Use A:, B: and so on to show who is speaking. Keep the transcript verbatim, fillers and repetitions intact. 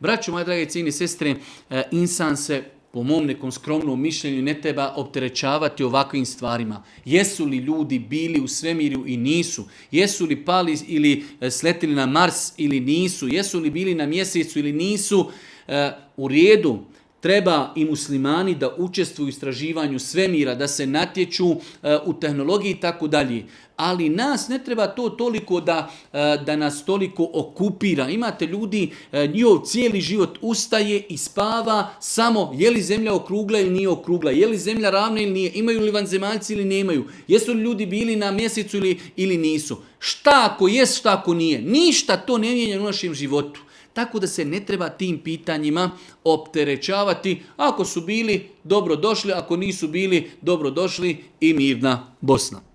A: Braćo, moje drage cijene sestre, insan se po mom nekom skromnom mišljenju ne treba opterećavati ovakvim stvarima. Jesu li ljudi bili u svemiru i nisu? Jesu li pali ili sletili na Mars ili nisu? Jesu li bili na mjesecu ili nisu? U redu. Treba i muslimani da učestvuju u istraživanju svemira, da se natječu uh, u tehnologiji i tako dalje. Ali nas ne treba to toliko da, uh, da nas toliko okupira. Imate ljudi, uh, njihov cijeli život ustaje i spava samo je li zemlja okrugla ili nije okrugla, je li zemlja ravna ili nije, imaju li vanzemaljci ili nemaju, jesu li ljudi bili na mjesecu ili, ili nisu. Šta ako jest, šta ako nije. Ništa to ne mijenja u našem životu. Tako da se ne treba tim pitanjima opterećavati. Ako su bili, dobro došli. Ako nisu bili, dobro došli i mirna Bosna.